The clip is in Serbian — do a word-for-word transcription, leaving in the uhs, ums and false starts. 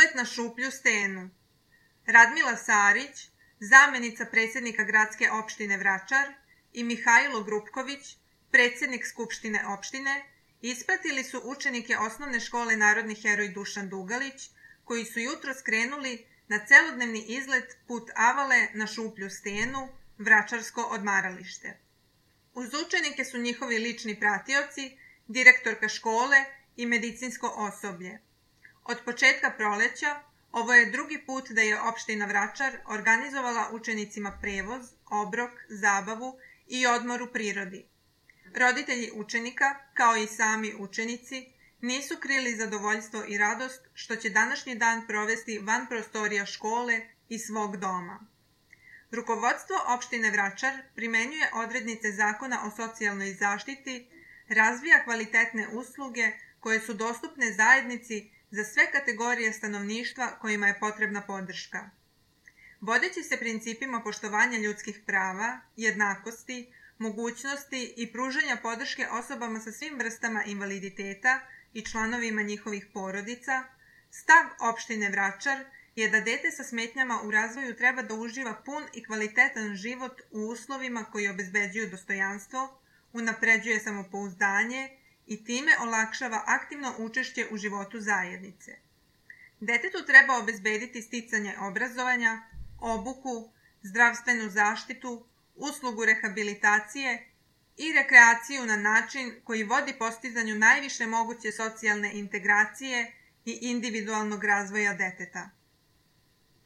Izlet na Šuplju stenu. Radmila Sarić, zamjenica predsjednika gradske opštine Vračar, i Mihajlo Grupković, predsjednik Skupštine opštine, ispratili su učenike osnovne škole Narodni heroj Dušan Dugalić, koji su jutro skrenuli na celodnevni izlet put Avale na Šuplju stenu, Vračarsko odmaralište. Uz učenike su njihovi lični pratioci, direktorka škole i medicinsko osoblje. Od početka proleća ovo je drugi put da je opština Vračar organizovala učenicima prevoz, obrok, zabavu i odmor u prirodi. Roditelji učenika, kao i sami učenici, nisu krili zadovoljstvo i radost što će današnji dan provesti van prostorija škole i svog doma. Rukovodstvo opštine Vračar primenjuje odrednice Zakona o socijalnoj zaštiti, razvija kvalitetne usluge koje su dostupne zajednici za sve kategorije stanovništva kojima je potrebna podrška. Vodeći se principima poštovanja ljudskih prava, jednakosti, mogućnosti i pružanja podrške osobama sa svim vrstama invaliditeta i članovima njihovih porodica, stav opštine Vračar je da dete sa smetnjama u razvoju treba da uživa pun i kvalitetan život u uslovima koji obezbeđuju dostojanstvo, unapređuje samopouzdanje i time olakšava aktivno učešće u životu zajednice. Detetu treba obezbediti sticanje obrazovanja, obuku, zdravstvenu zaštitu, uslugu rehabilitacije i rekreaciju na način koji vodi postizanju najviše moguće socijalne integracije i individualnog razvoja deteta.